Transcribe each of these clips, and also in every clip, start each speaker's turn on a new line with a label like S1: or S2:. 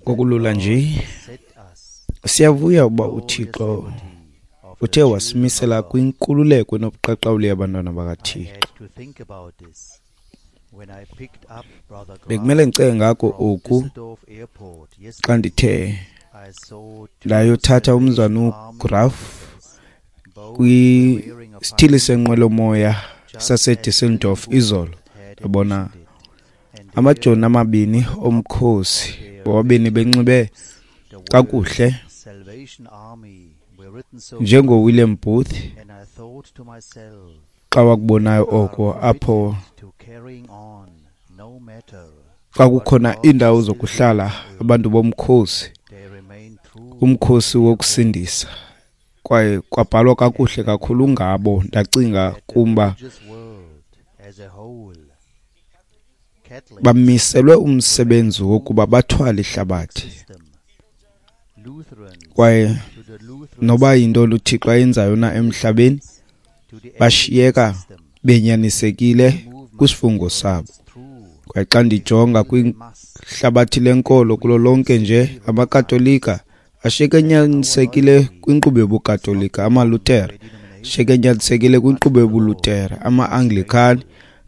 S1: Ngokulula nje, siyavuya ukuba uThixo uthe wasimisela kwinkululeko enobuqaqawuli yabantwana bakaThixo. Bekumele ndicinge ngako oku xa ndithe ndayothatha umzana uGraf kwisithili senqwelomoya saseDusseldorf izolo. Ndabona amajoni amabini omkhosi, bobabini benxibe kakuhle njengoWilliam Booth xa wakubonayo oko, apho xa kukhona iindawo zokuhlala abantu bomkhosi, umkhosi wokusindisa, kwaye kwabhalwa kakuhle kakhulu ngabo. Ndacinga kumba bamiselwe umsebenzi wokuba bathwale ihlabathi, kwaye noba yintoni uThixo ayenzayo na emhlabeni, bashiyeka benyanisekile kwisifungo sabo. Kwaye xa ndijonga kwihlabathi lenkolo kulo lonke nje, amaKatolika ashiyeke enyanisekile kwinkqubo yobuKatolika, amaLuthere ashiyeke enyanisekile kwinkqubo yobuLuthere, ama-Anglican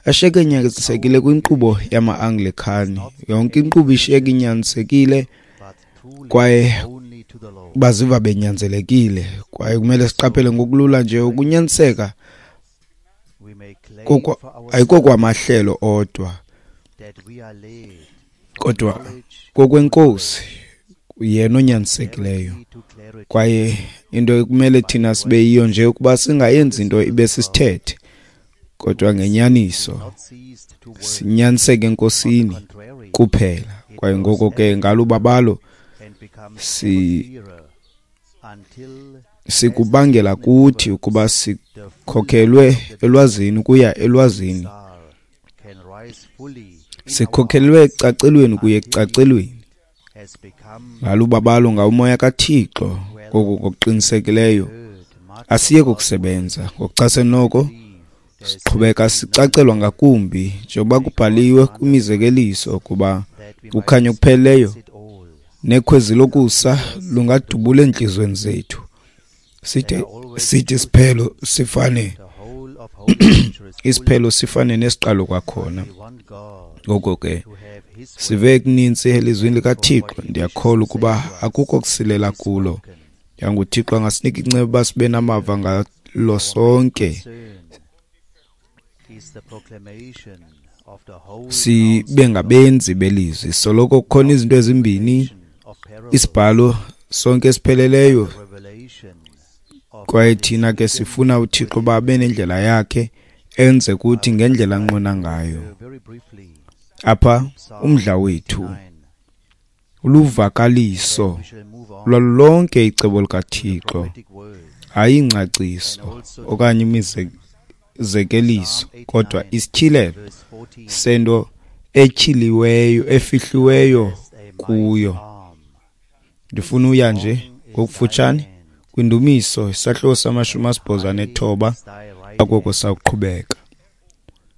S1: ashiyeke enyanisekile kwinkqubo yama-Anglican. Yonke inkqubo ishiyeke inyanisekile, kwaye baziva benyanzelekile. Kwaye kumele siqaphele ngokulula nje ukunyaniseka ayikokwamahlelo odwa, kodwa kokwenkosi, yena onyanisekileyo. Kwaye into ekumele thina sibe yiyo nje ukuba singayenzi into ibe sisithethe, kodwa ngenyaniso sinyaniseke enkosini kuphela. Kwaye ngoko ke ngalubabalo sikubangela kuthi ukuba sikhokhelwe elwazini ukuya elwazini, sikhokhelwe ekucacelweni kuye ekucacelweni ngalubabalo ngawumoya kaThixo. Ngoko ngokuqinisekileyo asiye kokusebenza ngokuchasene noko, siqhubeka sicacelwa ngakumbi njengoba kubhaliwe kwimizekeliso ukuba ukhanyo okupheleleyo nekhwezi lokusa lungadubula entliziyweni zethu, side sithi isiphelo sifane isiphelo sifane nesiqalo kwakhona. Ngoko ke sive kuninzi elizwini likaThixo. Ndiyakholwa ukuba akukho kusilela kulo. YanguThixo angasinika inceba uba sibe namava ngalo sonke, sibe ngabenzi belizwi. Soloko kukhona izinto ezimbini, isibhalo sonke esipheleleyo, kwaye thina ke sifuna uThixo uba abe nendlela yakhe, enze kuthi ngendlela anqwena ngayo. Apha umdla wethu uluvakaliso lwalo lonke icebo likaThixo, hayi ingcaciso okanye imizekeliso, kodwa isityhilelo sento etyhiliweyo, efihliweyo kuyo. Ndifuna uya nje ngokufutshane kwindumiso isahluko sama-89, akoko sawuqhubeka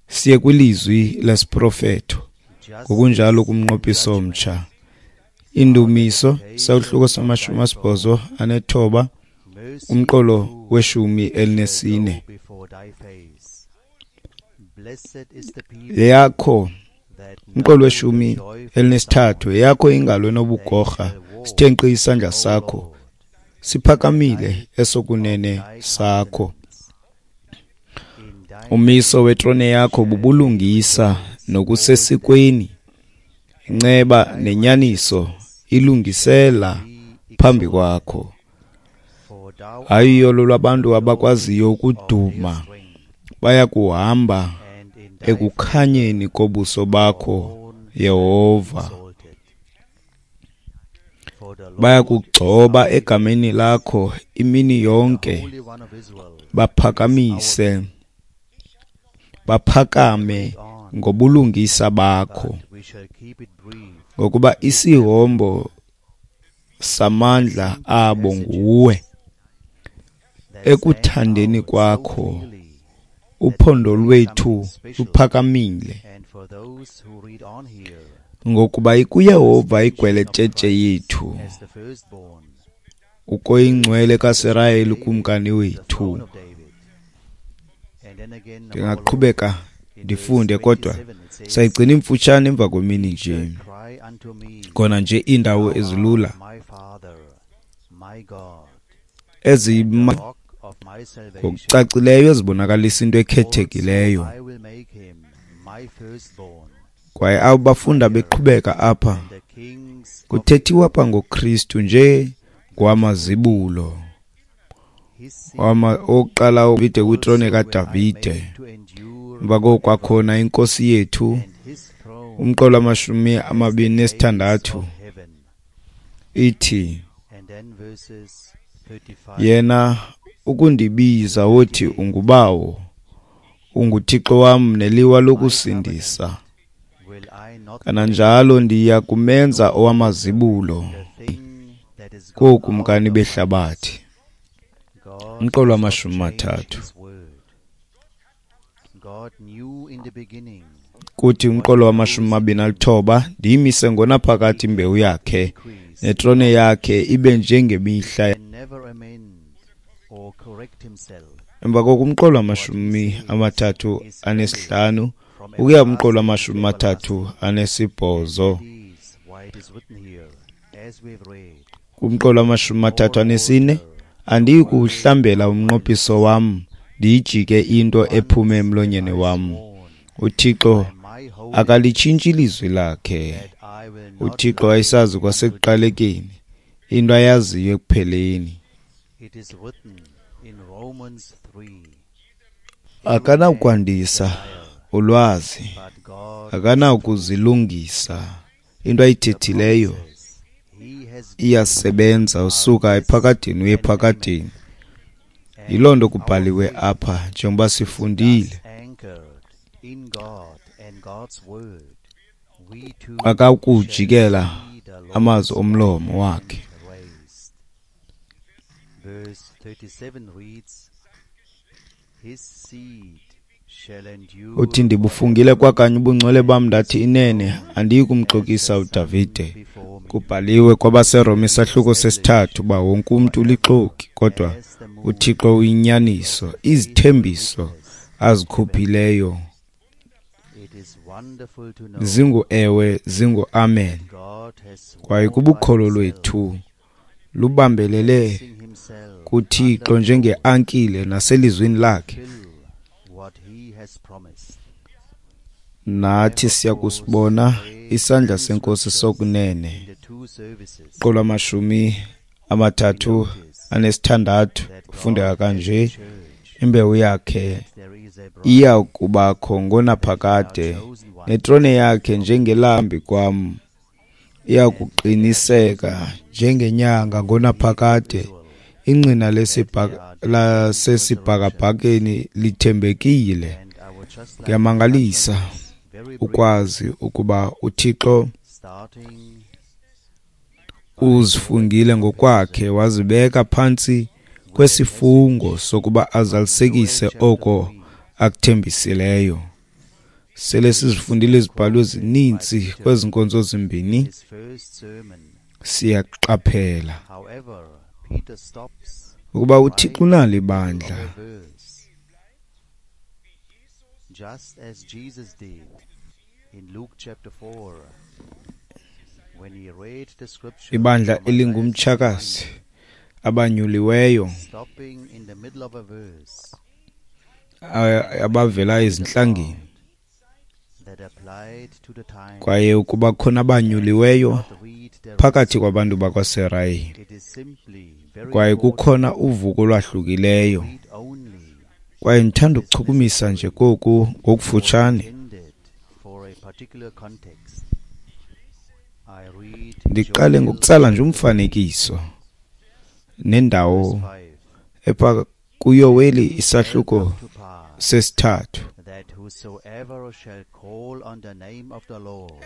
S1: siye kwilizwi lesiprofeto ngokunjalo kumnqophiso omtsha. Indumiso isahluko sama-89 umqolo we-14. Yakho umqolo we-13, yakho ingalo enobugorha, sithe nkqi isandla sakho, siphakamile esokunene sakho. Umiso wetrone yakho bubulungisa nokusesikweni, inceba nenyaniso ilungisela phambi kwakho. Hayi uyolo lwabantu abakwaziyo ukuduma, bayakuhamba ekukhanyeni kobuso bakho, Yehova. Bayakugcoba egameni lakho imini yonke, baphakamise baphakame ngobulungisa bakho, ngokuba isihombo samandla abo nguwe. Ekuthandeni kwakho Uphondo lwethu luphakamile, ngokuba ikuYehova igweletshetshe yethu, ukoyingcwele kaSirayeli ukumkani wethu. Ndingaqhubeka ndifunde, kodwa sayigcina imfutshane emva kwemini nje. Khona nje iindawo ezilula ezima ngokucacileyo ezibonakalisa into ekhethekileyo. Kwaye abo bafunda beqhubeka apha, kuthethiwa apha ngoKristu nje ngowamazibulo, owokuqala uDavide kwitrone kaDavide. Emva koko kwakhona inkosi yethu, umqolo 26 ithi, yena ukundibiza wothi ungubawo, unguThixo wam neliwa lokusindisa. Kananjalo ndiya kumenza owamazibulo kookumkani behlabathi. Umqolo 30. Kuthi umqolo 29, ndiyimise ngonaphakade imbewu yakhe, netrone yakhe ibe njengemihla. Emva koko umqolo 35 ukuya umqolo 38. Kumqolo 34, andiyi kuwuhlambela umnqophiso wam, ndiyijike into ephume emlonyeni wam. UThixo akalitshintshi ilizwi lakhe. UThixo wayesazi kwasekuqalekeni into ayaziyo ekupheleni. Akanawukwandisa ulwazi, akanawukuzilungisa. Into ayithethileyo iyasebenza usuka ephakadeni uye ephakadeni. Yiloo nto kubhaliwe apha njengoba sifundile. Akakujikela amazwi omlomo wakhe. Uthi, ndibufungile kwakanye ubungcwele bam, ndathi inene andiyi kumxokisa uDavide. Kubhaliwe kwabaseRoma isahluko 3 uba wonke umntu ulixoki, kodwa uThixo uyinyaniso. Izithembiso azikhuphileyo zingu-ewe, zingu-amen. Kwaye kubukholo lwethu lubambelele kuThixo njengeankile naselizwini lakhe. Nathi siyakusibona isandla senkosi sokunene. Qolo 36 kufundeka kanje: imbewu yakhe iya kubakho ngonaphakade, netrone yakhe njengelambi kwam iya kuqiniseka njengenyanga ngonaphakade. Ingqina lasesibhakabhakeni lithembekile. Kuyamangalisa ukwazi ukuba uThixo uzifungile ngokwakhe, wazibeka phantsi kwesifungo sokuba azalisekise oko akuthembisileyo. Sele sizifundile izibhalo ezininzi kwezi nkonzo zimbini, siyaqaphela ukuba uThixo unalo ibandla.
S2: Just as Jesus did in Luke chapter 4 when he read the scripture,
S1: ibandla elingumtshakazi, abanyuliweyo,
S2: stopping in the middle of a verse,
S1: abavela ezinhlangeni,
S2: that applied to the time,
S1: kwaye ukuba khona abanyuliweyo phakathi kwabantu bakwaSirayeli,
S2: it is simply very
S1: kwaye kukhona uvuko olwahlukileyo. Kwaye ndithanda ukuchukumisa nje koku ngokufutshane. Ndiqale ngokutsala nje umfanekiso nendawo epha kuYoweli isahluko 3.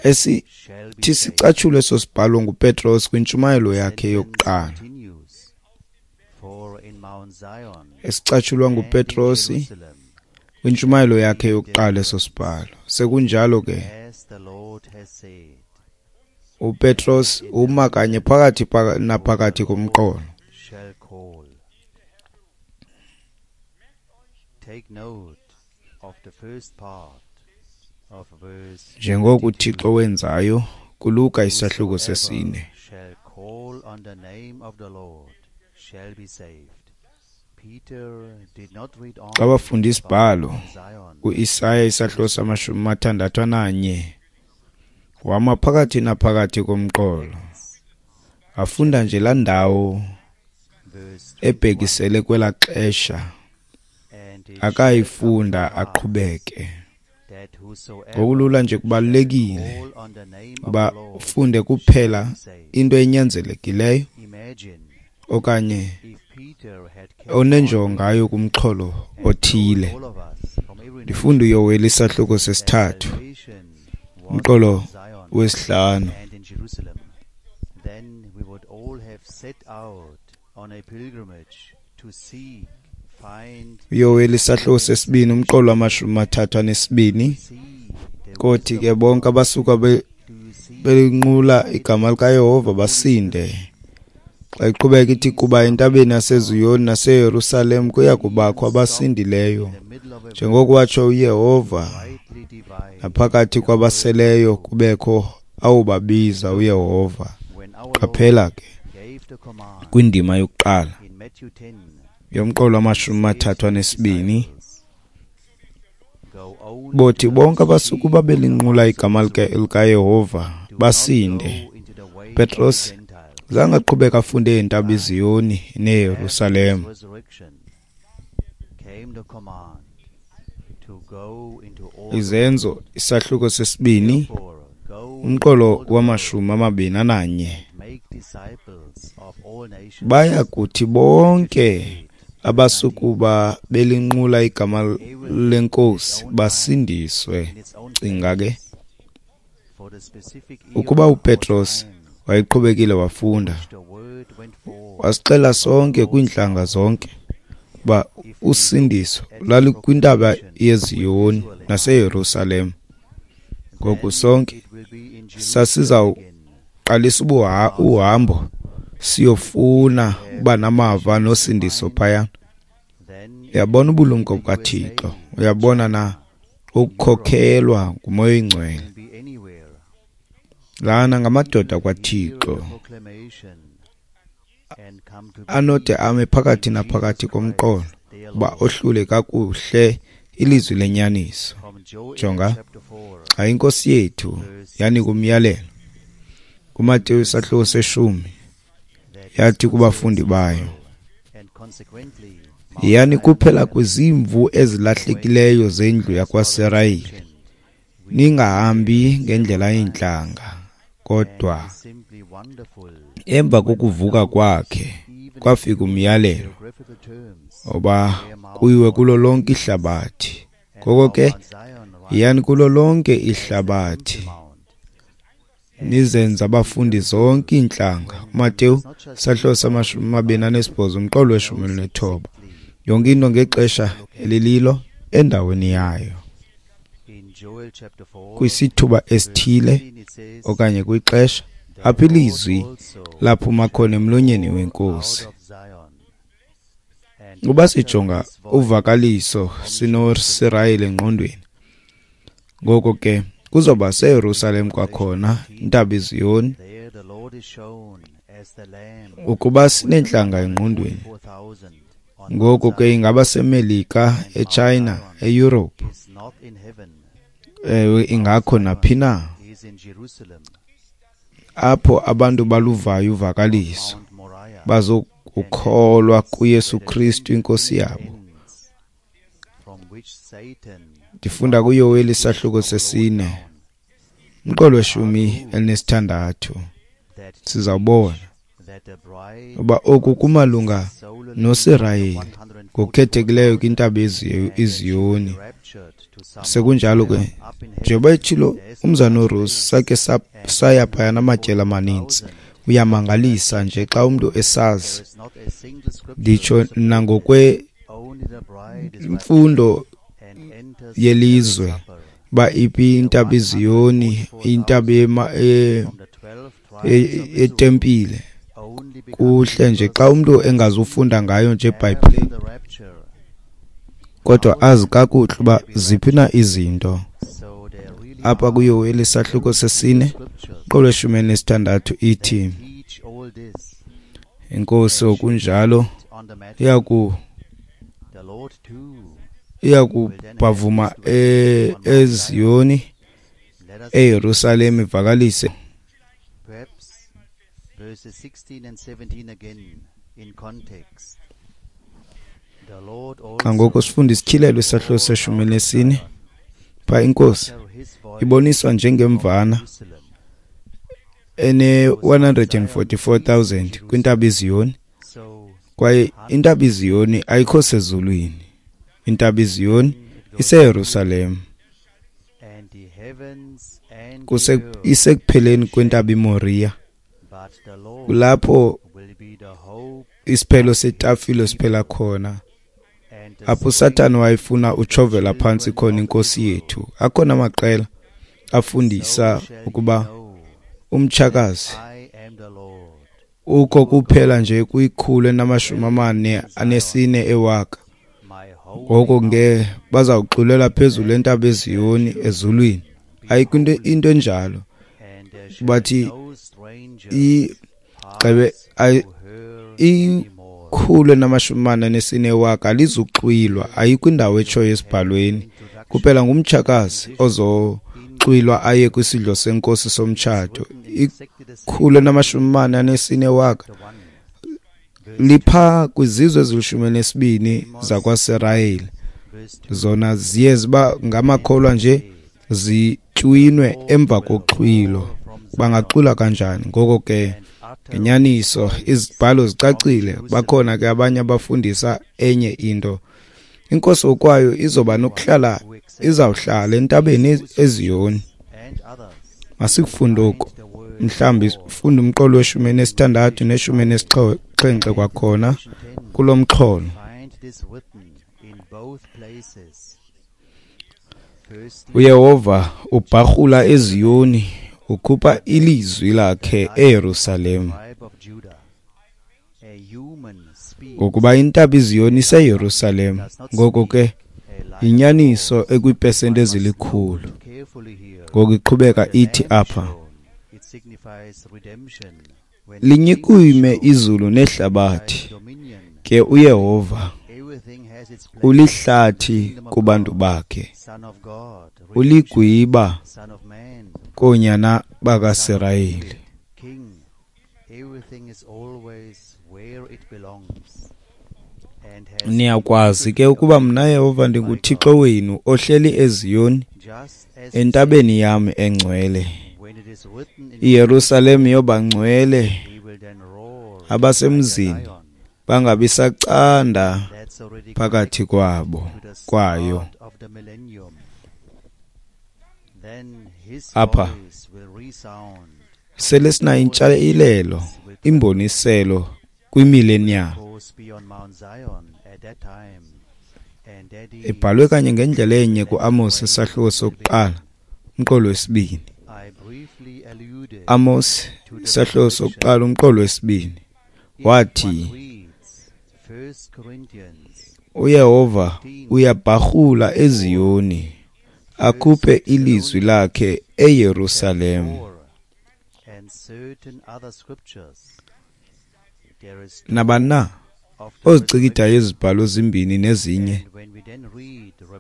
S1: Esithi sicatshulwe eso sibhalo nguPetros kwintshumayelo yakhe yokuqala. Esicatshulwa nguPetrosi Kwintshumayelo yakhe yokuqala eso sibhalo. Sekunjalo ke, uPetros uma kanye phakathi naphakathi komqolo. Njengoko uThixo wenzayo kuLuka isahluko sesine. Xa bafunda isibhalo kuIsaya isahluko sama-61, wama phakathi naphakathi komqolo. Afunda nje laa ndawo ebhekisele kwelaa xesha, akayifunda aqhubeke. Ngokulula nje kubalulekile uba ufunde kuphela into enyanzelekileyo okanye onenjongo ngayo kumxholo othile. Ndifunda uYoweli isahluko sesithathu, umqolo wesihlanu. uYoweli isahluko sesibini, umqolo wama-32. Kothi ke bonke abasuka belinqula igama likaYehova basinde. Xa iqhubeka ithi, kuba entabeni yaseZiyoni naseYerusalem kuya kubakho abasindileyo, njengoko watsho uYehova, naphakathi kwabaseleyo kubekho awubabiza uYehova. Qaphela ke kwindima yokuqala yomqolo wama-32, bothi bonke abasukuba belinqula igama likaYehova basinde. Petros zange aqhubeka afunde intaba iZiyoni neYerusalem. Izenzo isahluko sesibini, umqolo wama-21. Baya kuthi bonke abasukuba belinqula igama leNkosi basindiswe. Cinga ke ukuba uPetros wayeqhubekile wafunda, wasixela sonke kwiintlanga zonke uba usindiso lwalukwintaba yeZiyoni naseYerusalem. Ngoku sonke sasizawuqalisa uhambo siyofuna uba namava nosindiso phaya. Uyabona ubulumko bukaThixo, uyabona na ukukhokhelwa nguMoya oyiNgcwele. Lana ngamadoda kwaThixo anode ame phakathi naphakathi komqolo uba ohlule kakuhle ilizwi lenyaniso. Jonga, xa iNkosi yethu yanika umyalelo kuMateyu isahluko seshumi, yathi kubafundi bayo, yiyani kuphela kwizimvu ezilahlekileyo zendlu yakwaSirayeli, ningahambi ngendlela yeentlanga. Kodwa emva kokuvuka kwakhe kwafika umyalelo oba kuyiwe kulo lonke ihlabathi. Ngoko ke yiyani kulo lonke ihlabathi nizenze abafundi zonke iintlanga. uMateyu isahluko sama-28 umqolo we-19. Yonke into ngexesha elililo endaweni yayo, kwisithuba esithile okanye kwixesha apho ilizwi laphuma khona emlonyeni weNkosi. Uba sijonga uvakaliso sinoSirayeli engqondweni, ngoko ke kuzoba seYerusalem kwakhona, intaba iZiyoni. Ukuba sineentlanga engqondweni, ngoko ke ingaba seMelika, eChina, eEurope, ewe, ingakho naphi na apho abantu baluvayo uvakaliso bazokukholwa kuYesu Kristu iNkosi yabo. Ndifunda kuYoweli isahluko sesine, umqolo we-16. Sizawubona uba oku kumalunga noSirayeli ngokukhethekileyo kwintaba iZiyoni. Sekunjalo ke, njengoba etshilo umzana uRusi, sakhe saya phaya namatyeli amaninzi. Uyamangalisa nje xa umntu esazi, nditsho nangokwemfundo yelizwe uba iphi intaba iZiyoni, intaba yetempile. Kuhle nje xa umntu engazufunda ngayo nje eBhayibhileni, kodwa azi kakuhle uba ziphi na izinto. Apha kuYoweli isahluko sesine umqolo weshumi elinesithandathu ithi, iNkosi okunjalo iyakubhavuma eZiyoni, eYerusalem ivakalise. Xa ngoku sifunda isityhilelo isahluko seshumi elinesine, phaa iNkosi iboniswa njengemvana ene-144,000 kwintaba iZiyoni, kwaye intaba iZiyoni ayikho sezulwini. Intaba iZiyoni iseYerusalem, isekupheleni kwentaba iMoriya, kulapho isiphelo setafile siphela khona, apho uSathane wayefuna utshovela phantsi khona iNkosi yethu. Akhona amaqela afundisa ukuba umtshakazi ukho kuphela nje kwi-144 ewaka, ngoko ke bazawuxulela phezulu entaba eZiyoni ezulwini. Ayikho into enjalo. Bathi igxebe 144 ewaka alizuxwilwa, ayikho indawo etshoyo esibhalweni. Kuphela ngumtshakazi ozoxwilwa aye kwisidlo senkosi somtshato. 144 ewaka lipha kwizizwe ezili-12 zakwaSirayeli. Zona ziye ziba ngamakholwa nje, zitywinwe emva koxhwilo. Bangaxwilwa kanjani? Ngoko ke ngenyaniso izibhalo zicacile. Bakhona ke abanye abafundisa enye into. INkosi okwayo izoba nokuhlala, izawuhlala entabeni eZiyoni. Masikufunde oku. Mhlawumbi funda umqolo weshumi elinesithandathu neshumi elinesixhenxe kwakhona kulo mxholo. uYehova ubharhula eZiyoni, ukhupha ilizwi lakhe eYerusalem. Ngokuba intaba iZiyoni iseYerusalem, ngoko ke yinyaniso ekwiipesenti ezilikhulu. Ngoku iqhubeka ithi apha, linyikime izulu nehlabathi, ke uYehova ulihlathi kubantu bakhe, uligwiba koonyana bakaSirayeli. Niyakwazi ke ukuba mna Yehova ndinguThixo wenu ohleli eZiyoni, entabeni yam engcwele. IYerusalem yoba ngcwele, abasemzini bangabi sacanda phakathi kwabo kwayo. Apha sele sinayo intshayelelo, imboniselo kwimillennium ebhalwe kanye ngendlela enye kuAmos isahluko sokuqala umqolo wesibini. Amos isahluko sokuqala umqolo wesibini wathi, uYehova uyabharhula eZiyoni, akhuphe ilizwi lakhe eYerusalem. Nabani na ozicikidayo izibhalo zimbini nezinye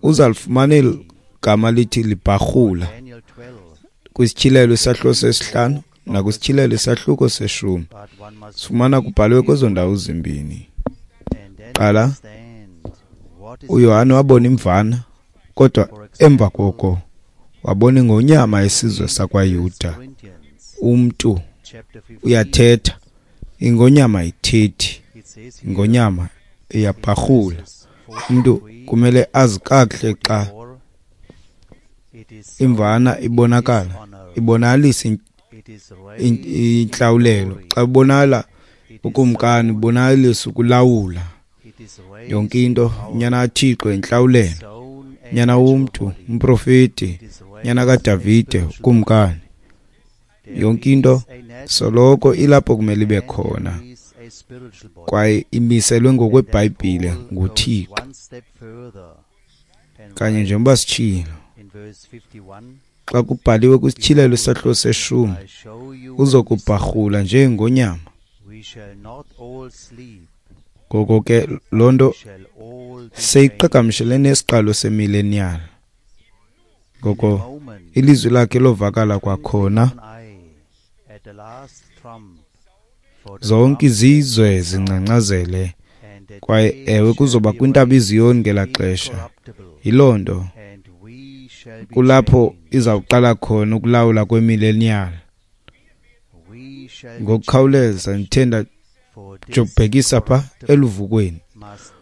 S1: uzalifumana eli gama lithi libharhula kwisityhilelo isahluko sesihlanu nakwisityhilelo isahluko seshumi. Sifumana kubhalwe kwezo ndawo zimbini. Qala, uYohane wabona imvana, kodwa emva koko wabona ingonyama yesizwe sakwaYuda. Umntu uyathetha, ingonyama ayithethi, ingonyama iyabharhula. Umntu kumele azi kakuhle xa imvana ibonakala, ibonakalisa intlawulelo. Xa ibonakala ukumkani, ibonakalisa ukulawula yonke into. Unyana kaThixo intlawulelo. Nyana womntu, umprofeti, nyana kaDavide, ukumkani. Yonke into soloko ilapho kumele ibe khona, kwaye imiselwe ngokweBhayibhile nguThixo. Kanye njengoba sitshilo, xa kubhaliwe kwisityhilelo isahluko seshumi, uzokubharhula njengonyama. Ngoko ke loo nto seyiqhagamshele nesiqalo semillennial. Ngoko ilizwi lakhe lovakala kwakhona, zonke izizwe zingcangcazele, kwaye ewe kuzoba kwintaba iZiyoni ngelaa xesha. Yiloo nto kulapho izawuqala khona ukulawula kwemillennial. Ngokukhawuleza ndithe ndajobhekisa pha eluvukweni,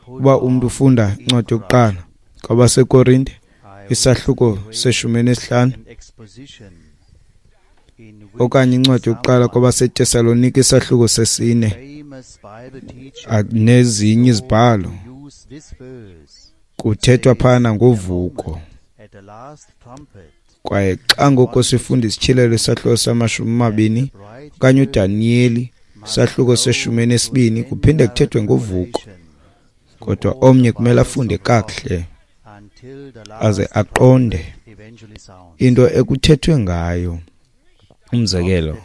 S1: uba umntu ufunda incwadi yokuqala kwabaseKorinte isahluko se-15 okanye incwadi yokuqala kwabaseTesalonika isahluko 4 nezinye izibhalo, kuthethwa phana ngovuko. Kwaye xa ngoko sifunda isityhilelo isahluko sama-20 okanye uDaniyeli isahluko se-12, kuphinde kuthethwe ngovuko. Kodwa omnye kumele afunde kakuhle aze aqonde into ekuthethwe ngayo. Umzekelo,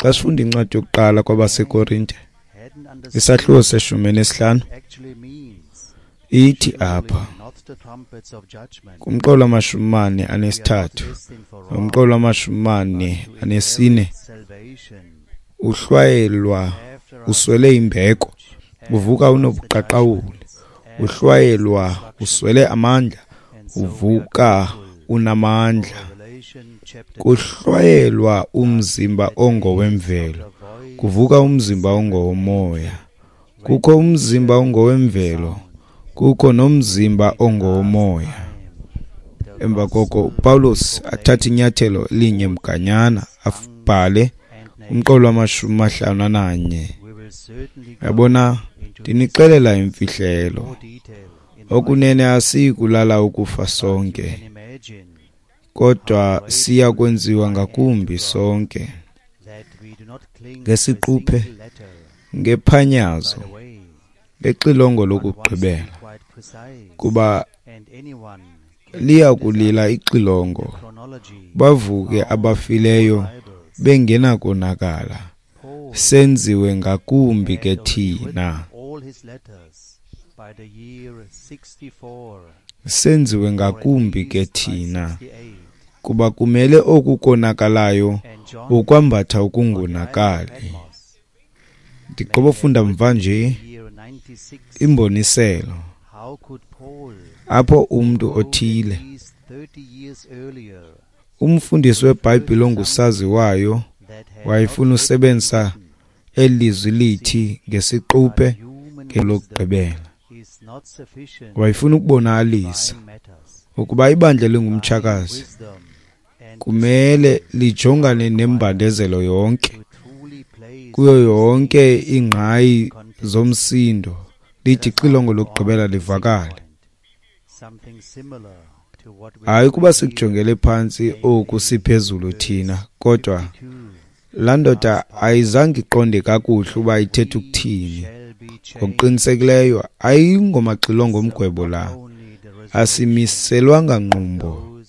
S1: xa sifunda incwadi yokuqala kwabaseKorinte isahluko se-15, ithi apha kumqolo wama-43 nomqolo wama-44, uhlwayelwa uswele imbeko, uvuka unobuqaqawuli, uhlwayelwa uswele amandla, uvuka unamandla. Kuhlwayelwa umzimba ongowemvelo, kuvuka umzimba ongowomoya. Kukho umzimba ongowemvelo, kukho nomzimba ongowomoya. Emva koko uPawulos athathe inyathelo elinye mganyana, abhale umqolo wama-51. Yabona, ndinixelela imfihlelo, okunene asiyi kulala ukufa sonke, kodwa siya kwenziwa ngakumbi sonke ngesiquphe, ngephanyazo, ngexilongo lokugqibela. Kuba liya kulila ixilongo, bavuke abafileyo bengenakonakala, senziwe ngakumbi ke thina. Senziwe ngakumbi ke thina, kuba kumele oku konakalayo ukwambatha ukungonakali. Ndigqibofunda mva nje imboniselo apho umntu othile, umfundisi weBhayibhile ongusaziwayo, wayefuna usebenzisa elizwi lithi ngesiquphe ngelokugqibela. Wayefuna ukubonakalisa ukuba ibandla lingumtshakazi kumele lijongane nembandezelo yonke, kuyo yonke ingqayi zomsindo, lithi ixilongo lokugqibela livakale. Hayi kuba sikujongele phantsi oku siphezulu thina, kodwa laa ndoda ayizange iqonde kakuhle uba ithetha ukuthini. Ngokuqinisekileyo ayingomaxilongo omgwebo la, asimiselwanga ngqumbo,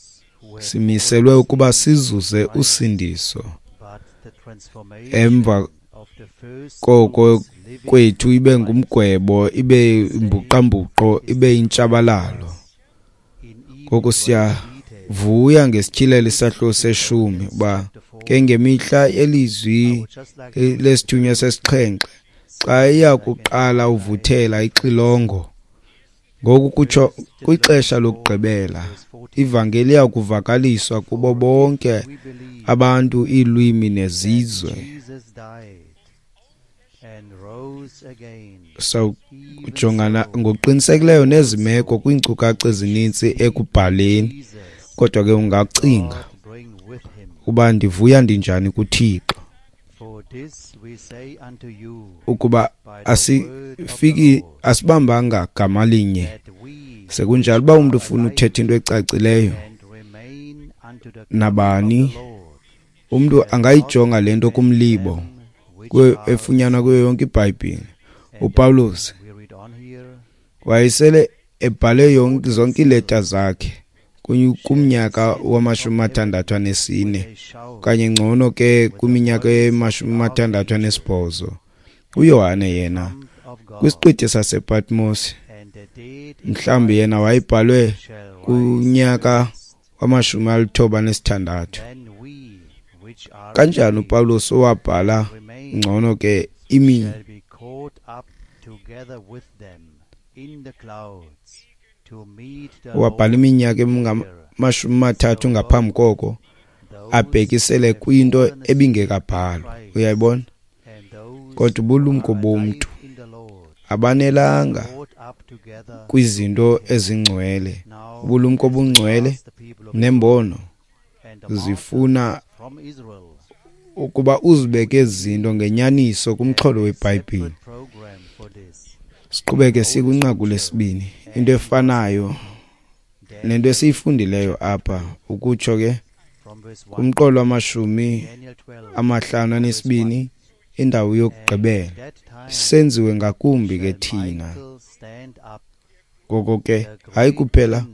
S1: simiselwe ukuba sizuze usindiso. Emva koko kwethu ibe ngumgwebo, ibe imbuqambuqo, ibe intshabalalo. Ngoko siyavuya ngesityhilelo isahluko seshumi uba ke ngemihla yelizwi lesithunywa sesixhenxe, xa iya kuqala uvuthela ixilongo, ngoku kutsho kwixesha lokugqibela, ivangeli iya kuvakaliswa kubo bonke abantu, iilwimi nezizwe. Sawujongana ngokuqinisekileyo nezi meko kwiinkcukacha ezininzi ekubhaleni, kodwa ke ungacinga uba ndivuya ndinjani kuThixo ukuba asifiki, asibambanga gama linye, Sekunjalo, uba umntu ufuna uthetha into ecacileyo nabani, umntu angayijonga le nto kumlibo efunyanwa kuyo yonke iBhayibhile. UPawulos wayesele ebhale zonke iileta zakhe kumnyaka wama-64 okanye ngcono ke kwiminyaka ye-68. UYohane yena kwisiqithi sasePatmos, mhlawumbi yena wayebhalwe kunyaka wama-96. Kanjani uPawulos owabhala ngcono ke wabhala iminyaka engama-30 ngaphambi koko, abhekisele kwinto ebingekabhalwa. Uyayibona? Kodwa ubulumko bomntu abanelanga kwizinto ezingcwele. Ubulumko obungcwele nembono zifuna ukuba uzibeke izinto ngenyaniso kumxholo weBhayibhile. Siqhubeke sikwinqaku lesibini, into efanayo nento esiyifundileyo apha, ukutsho ke kumqolo wama-52, indawo yokugqibela. Senziwe ngakumbi ke thina. Ngoko ke hayi kuphela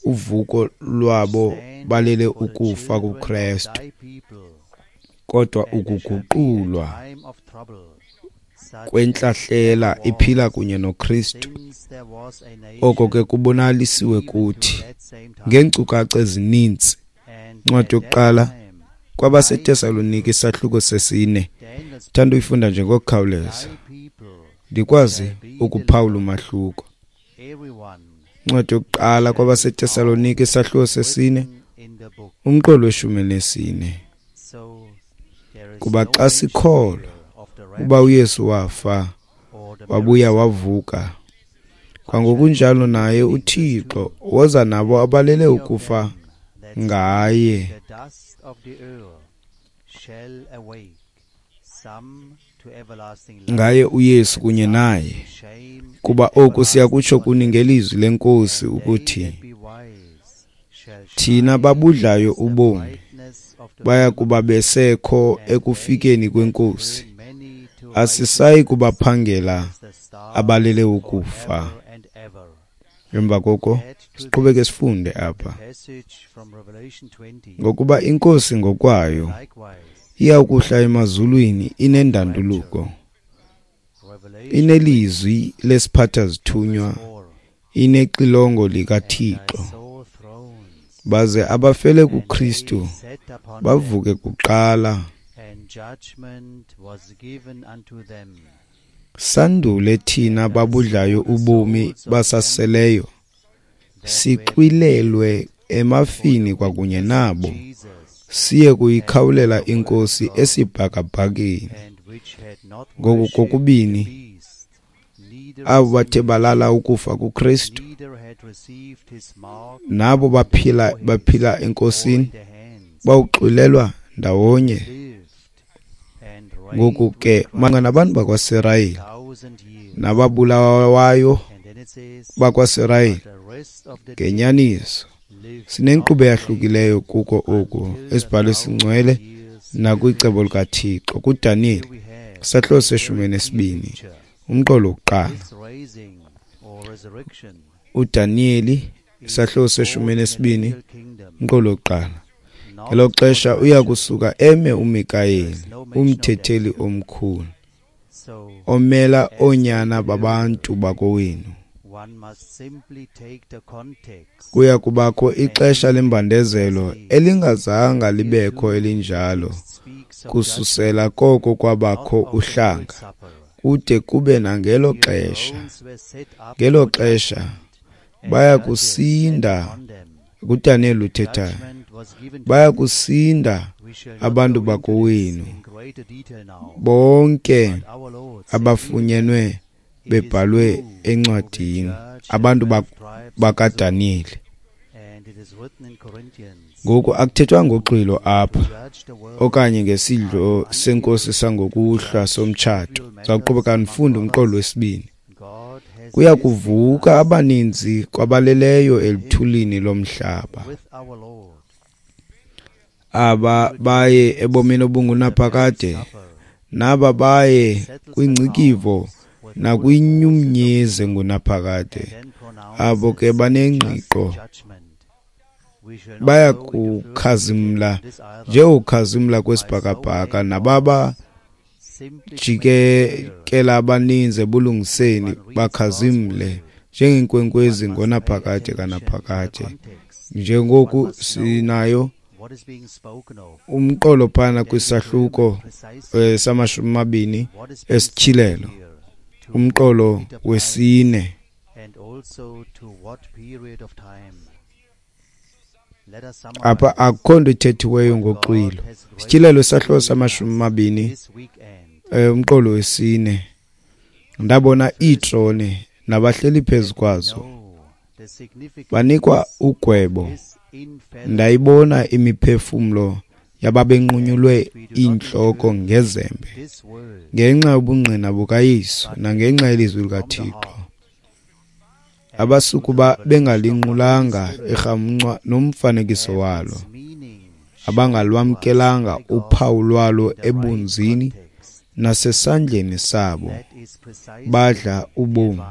S1: uvuko lwabo balele ukufa kuKrestu, kodwa ukuguqulwa kwentlahlela iphila kunye noKristu. Oko ke kubonalisiwe kuthi ngeenkcukacha ezininzi. Incwadi yokuqala kwabaseTesalonike isahluko 4. Thanda uyifunda nje ngokukhawuleza ndikwazi ukuphawula umahluko. Incwadi yokuqala kwabaseTesalonike isahluko 4, umqolo we-14. Kuba xa sikholwa uba uYesu wafa wabuya wavuka, kwangokunjalo naye uThixo woza nabo abalele ukufa ngaye. Ngaye uYesu kunye naye. Kuba oku siyakutsho kuni ngelizwi leNkosi ukuthi, thina babudlayo ubomi baya kuba besekho ekufikeni kweNkosi, asisayi kubaphangela abalele ukufa. Emva koko siqhubeke sifunde apha. Ngokuba iNkosi ngokwayo iya ukuhla emazulwini inendanduluko, inelizwi lesiphatha-zithunywa, inexilongo likaThixo, baze abafele kuKristu bavuke kuqala. Sandule thina babudlayo ubomi basaseleyo sixwilelwe emafini kwakunye nabo, siye kuyikhawulela iNkosi esibhakabhakeni. Ngoku kokubini abo bathe balala ukufa kuKristu nabo baphila eNkosini bawuxwilelwa ndawonye. Ngoku ke malunga nabantu bakwaSirayeli nababulawayo bakwaSirayeli, ngenyaniso sinenkqubo eyahlukileyo kuko oku esibhalo esingcwele nakwicebo likaThixo. KuDaniyeli isahluko se-12, umqolo wokuqala. uDaniyeli isahluko se-12, umqolo wokuqala. Ngelo xesha uya kusuka eme uMikayeli, umthetheli omkhulu, omela oonyana babantu bakowenu. Kuya kubakho ixesha lembandezelo elingazanga libekho elinjalo kususela koko kwabakho uhlanga kude kube nangelo xesha. Ngelo xesha baya kusinda, kuDaniyeli uthethayo, baya kusinda abantu bakowenu bonke abafunyenwe bebhalwe encwadini, abantu bakaDaniyeli. Ngoku akuthethwa ngoxwilo apha okanye ngesidlo senkosi sangokuhlwa somtshato. Zawuqhubeka ndifunde umqolo wesibini. Kuya kuvuka abaninzi kwabaleleyo eluthulini lomhlaba, aba baye ebomini obungunaphakade, naba baye kwingcikivo nakwinyumnyezi engunaphakade. Abo ke banengqiqo baya kukhazimla njengokukhazimla kwesibhakabhaka, nababa jikekela abaninzi ebulungiseni bakhazimle njengeenkwenkwezi ngonaphakade kanaphakade. Njengoku sinayo umqolo phana kwisahluko sama-20 esityhilelo, umqolo wesine. Apha akukho nto ithethiweyo ngoxwilo. Isityhilelo isahluko sama-20, umqolo wesine. Ndabona iitrone nabahleli phezu kwazo, banikwa ugwebo. Ndayibona imiphefumlo yababenqunyulwe iintloko ngezembe ngenxa yobungqina bukaYesu nangenxa yelizwi likaThixo, abasukuba bengalinqulanga irhamncwa nomfanekiso walo, abangalwamkelanga uphawu lwalo ebunzini nasesandleni sabo. Badla ubomi,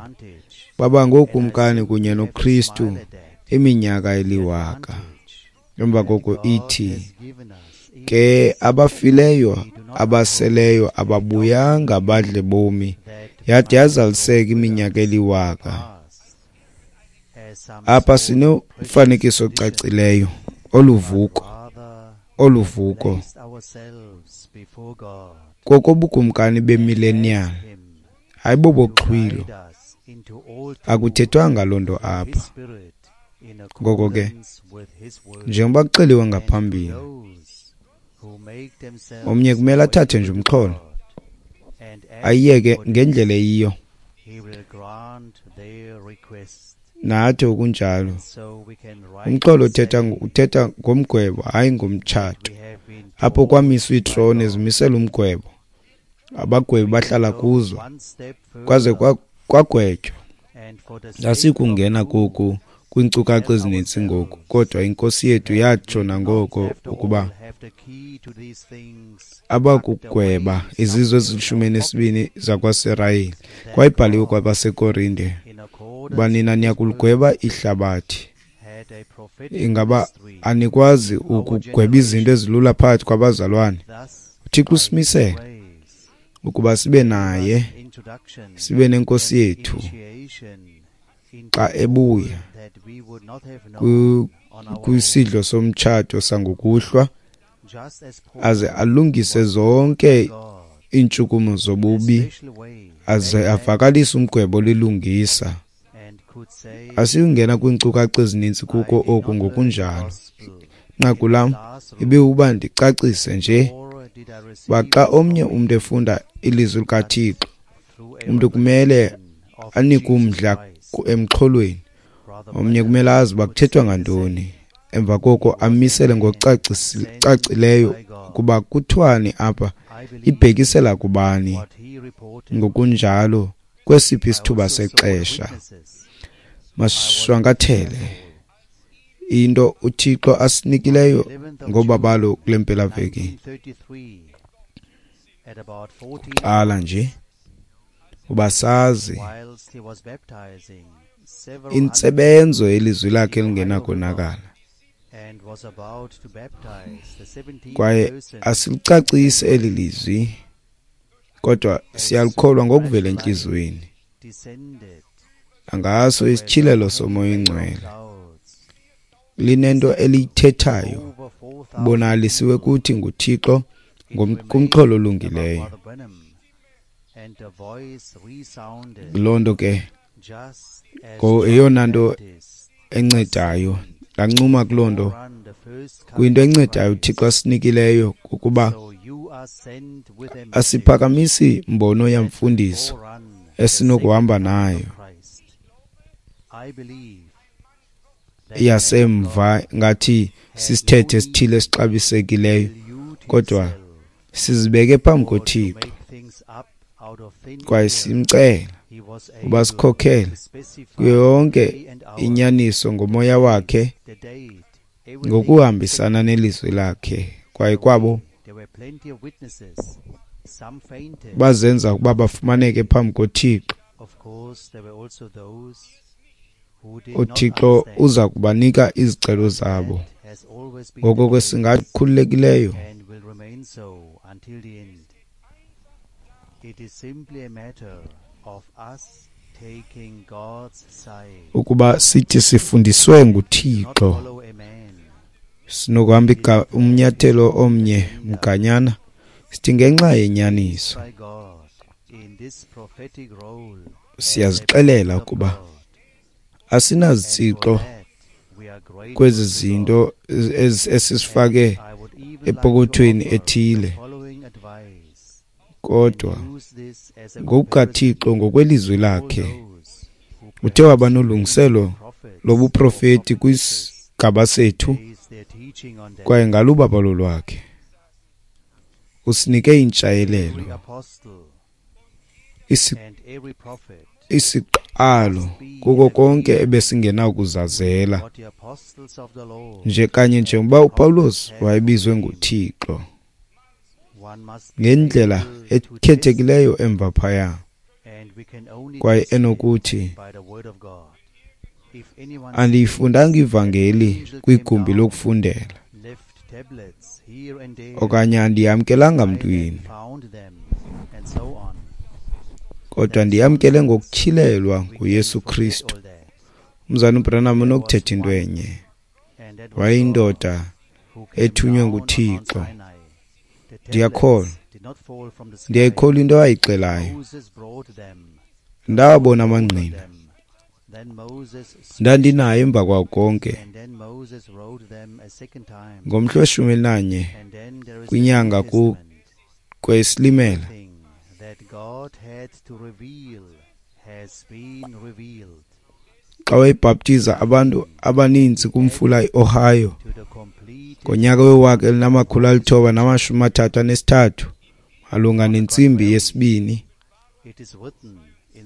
S1: baba ngookumkani kunye noKristu iminyaka eliwaka. Emva koko ithi ke abafileyo abaseleyo ababuyanga badle bomi, yade yazaliseka iminyaka eliwaka. Apha sinomfanekiso ocacileyo oluvuko kokobukumkani bemillennial, hayi boboxhwilo. Akuthethwanga loo nto apha. Ngoko ke, njengoba kuxeliwe ngaphambili, omnye kumele athathe nje umxholo ayiyeke ngendlela eyiyo, nathi okunjalo. Umxholo uthetha ngomgwebo, hayi ngomtshato. Apho kwamiswa iitrone zimisela umgwebo, abagwebi bahlala kuzo kwaze kwagwetywa. Asikungena koku kwiinkcukacha ezininzi ngoku, kodwa inkosi yethu yatsho nangoko ukuba abakugweba izizwe ezili-12 zakwaSirayeli. Kwayibhaliwe kwabaseKorinte uba nina niyakuligweba ihlabathi. Ingaba anikwazi ukugweba izinto ezilula phakathi kwabazalwane? uThixo usimisele ukuba sibe naye, sibe nenkosi yethu xa ebuya kwisidlo somtshato sangokuhlwa, aze alungise zonke iintshukumo zobubi, aze avakalise umgwebo olilungisa. Asiyungena kwiinkcukacha ezininzi kuko oku ngokunjalo. Inqaku lam ibiwuba ndicacise nje uba xa omnye umntu efunda ilizwi likaThixo, umntu kumele anike umdla emxholweni. Omnye kumele azi uba kuthethwa ngantoni, emva koko amisele ngokucacileyo ukuba kuthiwani apha, ibhekisela kubani, ngokunjalo kwesiphi isithuba sexesha. Masishwankathele into uThixo asinikileyo ngobabalo kule mpelaveki. Kuqala nje uba sazi intsebenzo yelizwi lakhe elingenakonakala, kwaye asilicacisi eli lizwi, kodwa siyalikholwa ngokuvela entliziyweni ngaso isityhilelo soMoya oyiNgcwele. Linento eliyithethayo, bonalisiwe kuthi nguThixo kumxholo olungileyo. Loo nto ke eyona nto encedayo. Ndancuma kuloo nto. Kwinto encedayo uThixo asinikileyo kukuba asiphakamisi mbono yamfundiso esinokuhamba nayo yasemva ngathi sisithethe esithile esixabisekileyo, kodwa sizibeke phambi koThixo kwaye simcela uba sikhokhele kuyo yonke inyaniso ngomoya wakhe ngokuhambisana nelizwi lakhe. Kwaye kwabo bazenza ukuba bafumaneke phambi koThixo, uThixo uza kubanika izicelo zabo. Ngoko ke singakhululekileyo ukuba sithi sifundiswe nguThixo, sinokuhamba umnyathelo omnye mganyana sithi ngenxa yenyaniso siyazixelela ukuba asinazitsixo kwezi zinto esisifake epokothweni ethile, kodwa ngokukaThixo ngokwelizwi lakhe uthe waba nolungiselo lobuprofeti kwisigaba sethu, kwaye ngalubabalo lwakhe usinike intshayelelo, isiqalo kuko konke ebesingenakuzazela, nje kanye njengoba uPawulos wayebizwe nguThixo ngendlela ekhethekileyo emva phaya, kwaye enokuthi andiyifundanga ivangeli kwigumbi lokufundela okanye andiyamkelanga mntwini, kodwa ndiyamkele ngokutyhilelwa nguYesu Kristu. Umzalwana uBranham unokuthetha into enye. Wayeyindoda ethunywe nguThixo. Ndiyakholwa, ndiyayikholwa into ayixelayo. Ndawabona amangqina, ndandinaye emva kwako konke. Ngomhla we-11 kwinyanga kweSilimela, xa wayebhaptiza abantu abaninzi kumfula iOhio ngonyaka we-1933 malunga nentsimbi yesibini,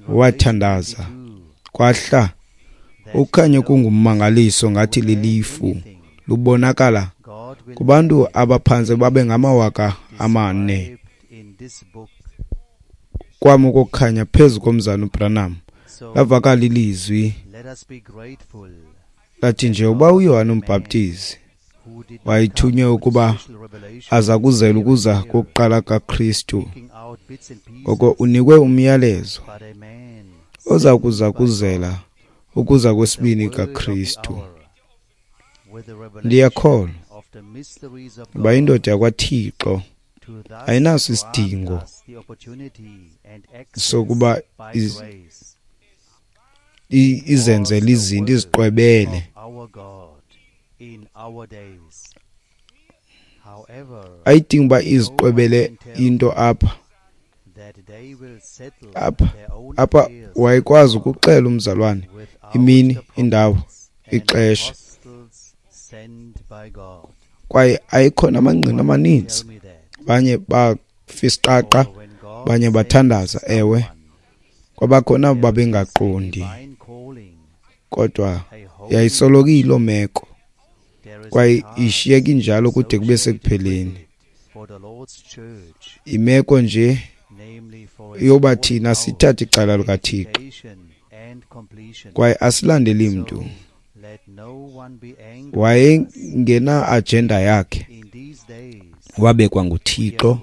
S1: wathandaza kwahla ukukhanya kungummangaliso ngathi lilifu lubonakala kubantu abaphantse babe ngama-4,000. Kwam ukukhanya phezu komzana uBranham lavakala ilizwi lathi, nje uba uYohane uMbhaptizi wayethunywe ukuba azakuzela ukuza kokuqala kaKristu, ngoko unikwe umyalezo oza kuza kuzela ukuza kwesibini kaKristu. Ndiyakholwa uba indoda yakwaThixo ayinaso isidingo sokuba izenzele izinto, iziqwebele. Ayidingi uba iziqwebele into apha. Apha wayekwazi ukuxela umzalwane imini, indawo, ixesha, kwaye ayikhona amangqina amaninzi. Abanye bafisiqaqa, abanye bathandaza, ewe, kwabakhona babengaqondi, kodwa yayisoloko iyiloo meko kwaye ishiyeka injalo kude kube sekupheleni. Imeko nje yoba thina sithathe icala likaThixo kwaye asilandeli mntu. Wayengena agenda yakhe, wabekwa nguThixo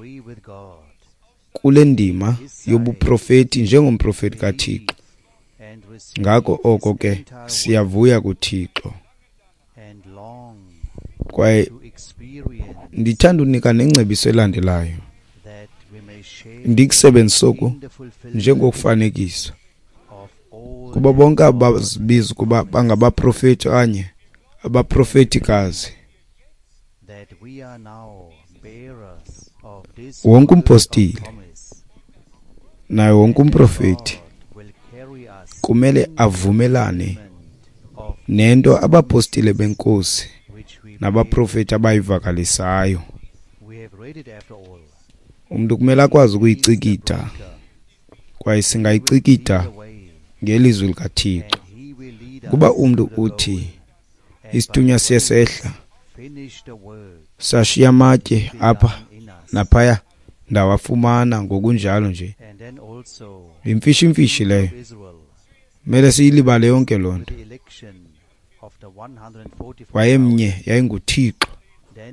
S1: kule ndima yobuprofeti njengomprofeti kaThixo. Ngako oko ke siyavuya kuThixo. Kwaye ndithanda unika nengcebiso elandelayo, ndikusebenzise oku njengokufanekisa kuba bonke abazibiza ukuba bangabaprofeti okanye abaprofetikazi, wonke umpostile naye wonke umprofeti kumele avumelane nento abapostile benkosi nabaprofeti abayivakalisayo. Umntu kumele akwazi ukuyicikitha Kwaye singayicikida ngelizwi likaThixo. Kuba umntu uthi isithunywa siye sehla sashiya amatye apha naphaya, ndawafumana ngokunjalo nje. Yimfishimfishi leyo, mele siyilibale yonke loo nto. Wayemnye, yayinguThixo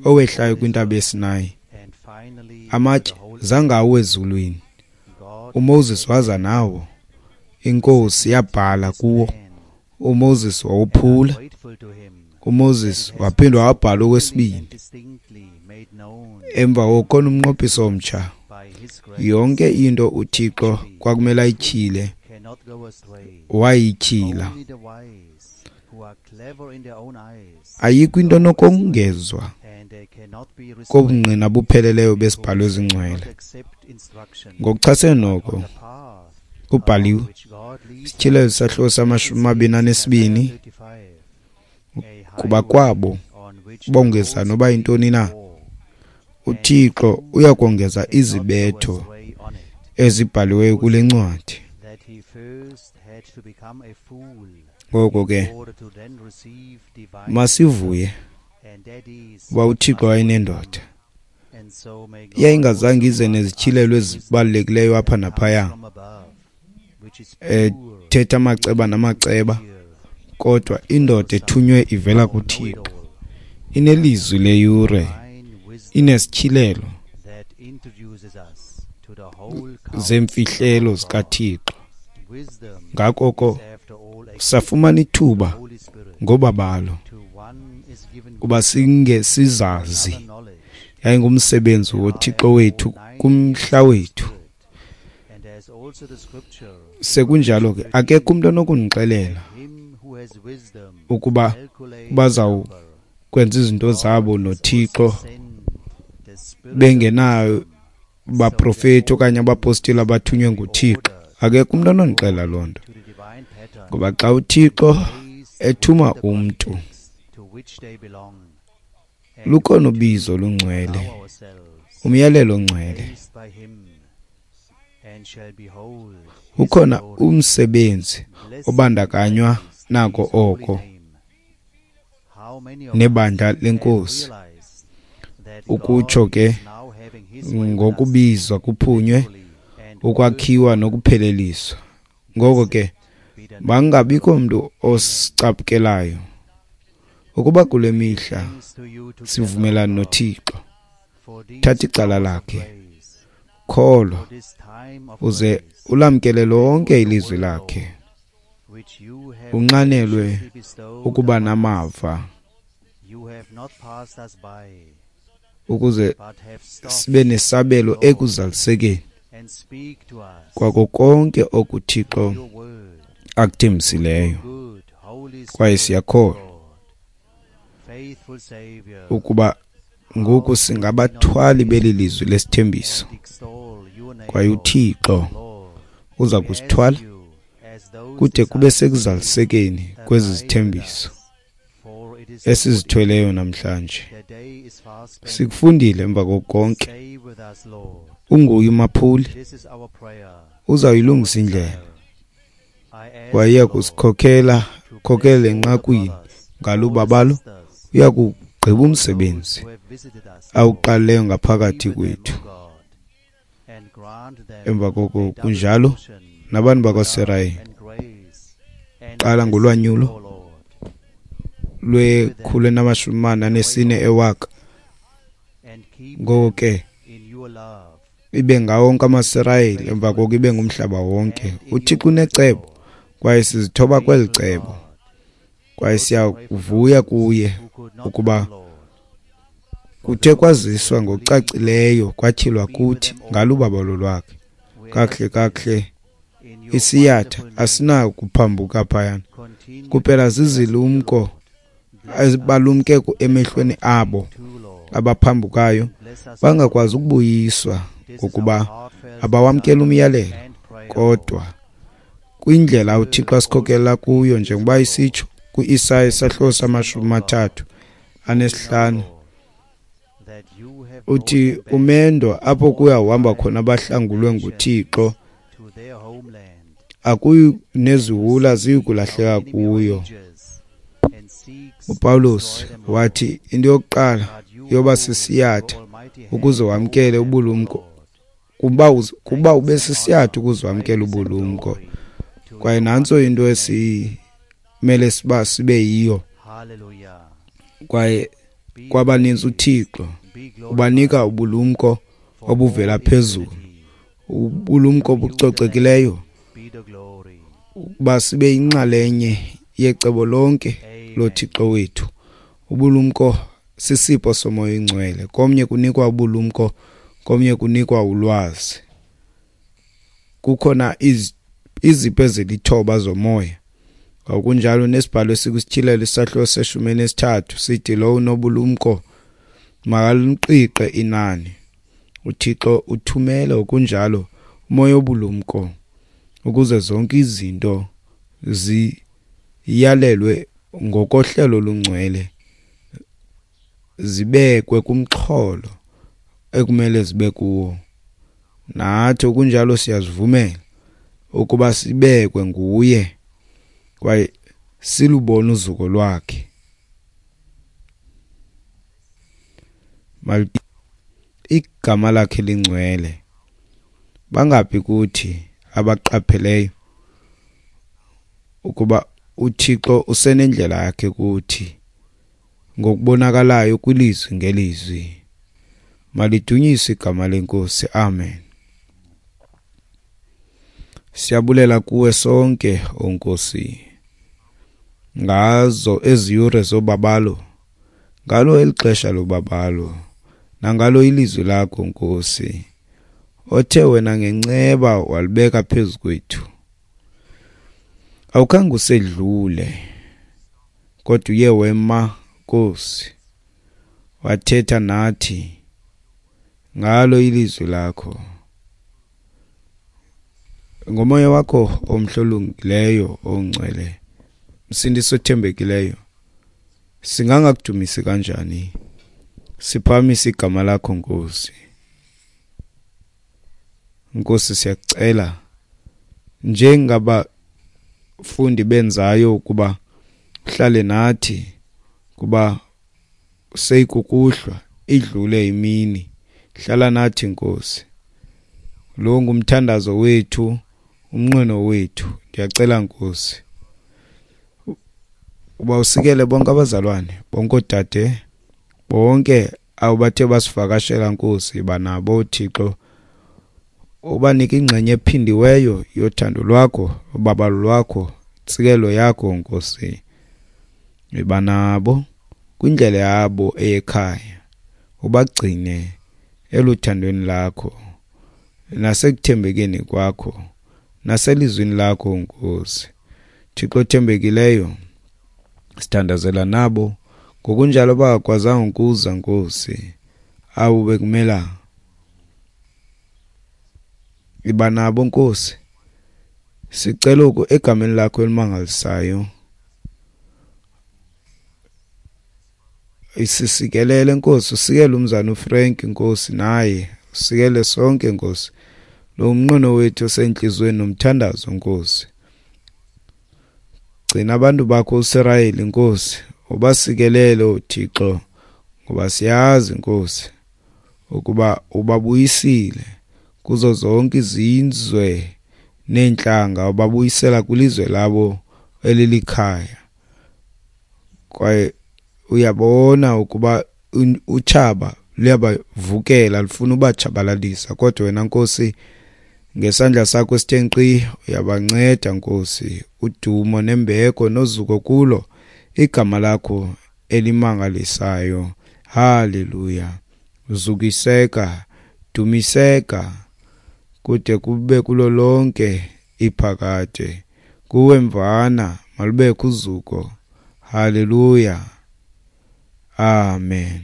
S1: owehlayo kwintaba yeSinayi. Amatye zangawo ezulwini, uMoses waza nawo, iNkosi yabhala kuwo, uMoses wawophula. uMoses waphinda wabhala okwesibini. Emva koko umnqophiso omtsha, yonke into uThixo kwakumele ayityhile wayityhila. Ayikho into enokongezwa kobungqina bupheleleyo besibhalo ezingcwele. Ngokuchasene noko kubhaliwe, Sityhilelo isahluko sama-22, kuba kwabo bongeza noba yintoni na, uThixo uyakongeza izibetho ezibhaliweyo kule ncwadi. Ngoko ke masivuye uba uThixo wayenendoda yayingazange ize nezityhilelo ezibalulekileyo apha naphaya, ethetha amaceba namaceba, kodwa indoda ethunywe ivela kuThixo inelizwi leyure, inesityhilelo zemfihlelo zikaThixo. Ngakoko safumana ithuba ngobabalo kuba singe sizazi. Yayingumsebenzi woThixo wethu kumhla wethu. Sekunjalo ke akekho umuntu onokundixelela ukuba bazawukwenza izinto zabo noThixo bengenayo baprofeti okanye abapostile abathunywe nguThixo. Akekho umuntu onondixelela loo nto, ngoba xa uThixo ethuma umntu, lukhona ubizo olungcwele, umyalelo ongcwele, ukhona umsebenzi obandakanywa nako oko nebandla lenkosi. Ukutsho ke ngokubizwa kuphunywe, ukwakhiwa nokupheleliswa. Ngoko ke bangabikho mntu osicaphukelayo ukuba kule mihla sivumelana noThixo. Thatha icala lakhe, kholwa uze ulamkele lonke ilizwi lakhe, unxanelwe ukuba namava ukuze sibe nesabelo ekuzalisekeni kwako konke okuThixo akuthembisileyo. Kwaye siyakholwa ukuba ngoku singabathwali beli lizwi lesithembiso, kwaye uThixo uza kusithwala kude kube sekuzalisekeni kwezi zithembiso esizithweleyo namhlanje. Sikufundile emva kokonke, unguye umaphuli, uzawuyilungisa indlela, kwaye kusikhokhela khokhele enqakwini ngalubabalo, uya kugqiba umsebenzi awuqalileyo ngaphakathi kwethu. Emva koko kunjalo nabantu bakwaSirayeli, qala ngolwanyulo lwe-144 ewaka. Ngoko ke ibe ngawo wonke amaSirayeli, emva koko ibe ngumhlaba wonke. uThixo unecebo, kwaye sizithoba kweli cebo, kwaye siyavuya kuye ukuba kuthe kwaziswa ngokucacileyo kwatyhilwa kuthi ngalubabalo lwakhe. Kakuhle kakuhle isiyatha asinakuphambuka phayana, kuphela zizilumko ezibalumke emehlweni abo abaphambukayo bangakwazi ukubuyiswa ngokuba abawamkela umyalelo. Kodwa kwindlela uThixo asikhokela kuyo, njengoba isitsho kwi-Isaya isahluko sama-35, uthi umendo apho kuyawuhamba khona abahlangulwe nguThixo Akuyi neziwula ziyikulahleka kuyo. UPawulos wathi into yokuqala yoba sisiyatha ukuze wamkele ubulumko, kuba ube sisiyatha ukuze wamkele ubulumko. Kwaye nantso into esimele siba sibe yiyo. Kwaye kwabaninzi uThixo ubanika ubulumko obuvela phezulu, ubulumko obucocekileyo, ukuba sibe yinxalenye yecebo lonke loThixo wethu. Ubulumko sisipho soMoya oyiNgcwele. Komnye kunikwa ubulumko, komnye kunikwa ulwazi. Kukhona izipho ezilithoba zomoya. Ngokunjalo nesibhalo esikwisityhilelo isahluko seshumi elinesithathu sithi lowo unobulumko makaliqiqe inani. UThixo uthumele okunjalo umoya obulumko ukuze zonke izinto ziyalelwe ngokohlelo olungcwele, zibekwe kumxholo ekumele zibe kuwo. Nathi okunjalo siyazivumela ukuba sibekwe nguye kwaye silubone uzuko lwakhe. Igama lakhe lingcwele. Bangaphi kuthi abaqapheleyo ukuba uThixo usenendlela yakhe kuthi ngokubonakalayo kwilizwi ngelizwi? Malidunyiswe igama leNkosi. Amen. Siyabulela kuwe sonke, o Nkosi, ngazo ezi yure zobabalo, ngalo eli xesha lobabalo, nangalo ilizwi lakho, Nkosi, othe wena ngenceba walibeka phezu kwethu. Awukhange usedlule, kodwa uye wema, Nkosi, wathetha nathi ngalo ilizwi lakho. Ngomoya wakho omhle olungileyo ongcwele, Msindisi othembekileyo, singangakudumisi kanjani? Siphakamisa igama lakho, Nkosi. Nkosi, siyacela njengabafundi benzayo ukuba uhlale nathi, kuba seyikukuhlwa, idlule imini. Hlala nathi, Nkosi. Lo ngumthandazo wethu, umnqweno wethu. Ndiyacela, Nkosi, uba usikele bonke abazalwane, bonke oodade, bonke abo bathe basivakashela, Nkosi. Yiba nabo, Thixo, ubanike ingxenye ephindiweyo yothando lwakho, ubabalo lwakho, intsikelo yakho, Nkosi. Yiba nabo kwindlela yabo eyekhaya, ubagcine eluthandweni lakho nasekuthembekeni kwakho naselizwini lakho, Nkosi. Thixo othembekileyo, sithandazela nabo ngokunjalo bangakwazanga ukuza, Nkosi, abo bekumela. Iba nabo, Nkosi. Sicela oku egameni lakho elimangalisayo. Isisikelele, Nkosi, usikele umzana uFrank, Nkosi, naye usikele sonke, Nkosi. Lo umnqweno wethu osentliziyweni nomthandazo, Nkosi. Gcina abantu bakho uSirayeli, Nkosi, ubasikelele, Thixo, ngoba siyazi, Nkosi, ukuba ubabuyisile kuzo zonke izizwe neentlanga, ubabuyisela kwilizwe labo elilikhaya. Kwaye uyabona ukuba utshaba luyabavukela, lufuna ubatshabalalisa, kodwa wena, Nkosi, ngesandla sakho esithe nkqi uyabanceda, Nkosi. Udumo nembeko nozuko kulo igama lakho elimangalisayo. Haleluya. Zukiseka, dumiseka kude kube kulo lonke iphakade. Kuwe mvana malubekho uzuko. Haleluya. Amen.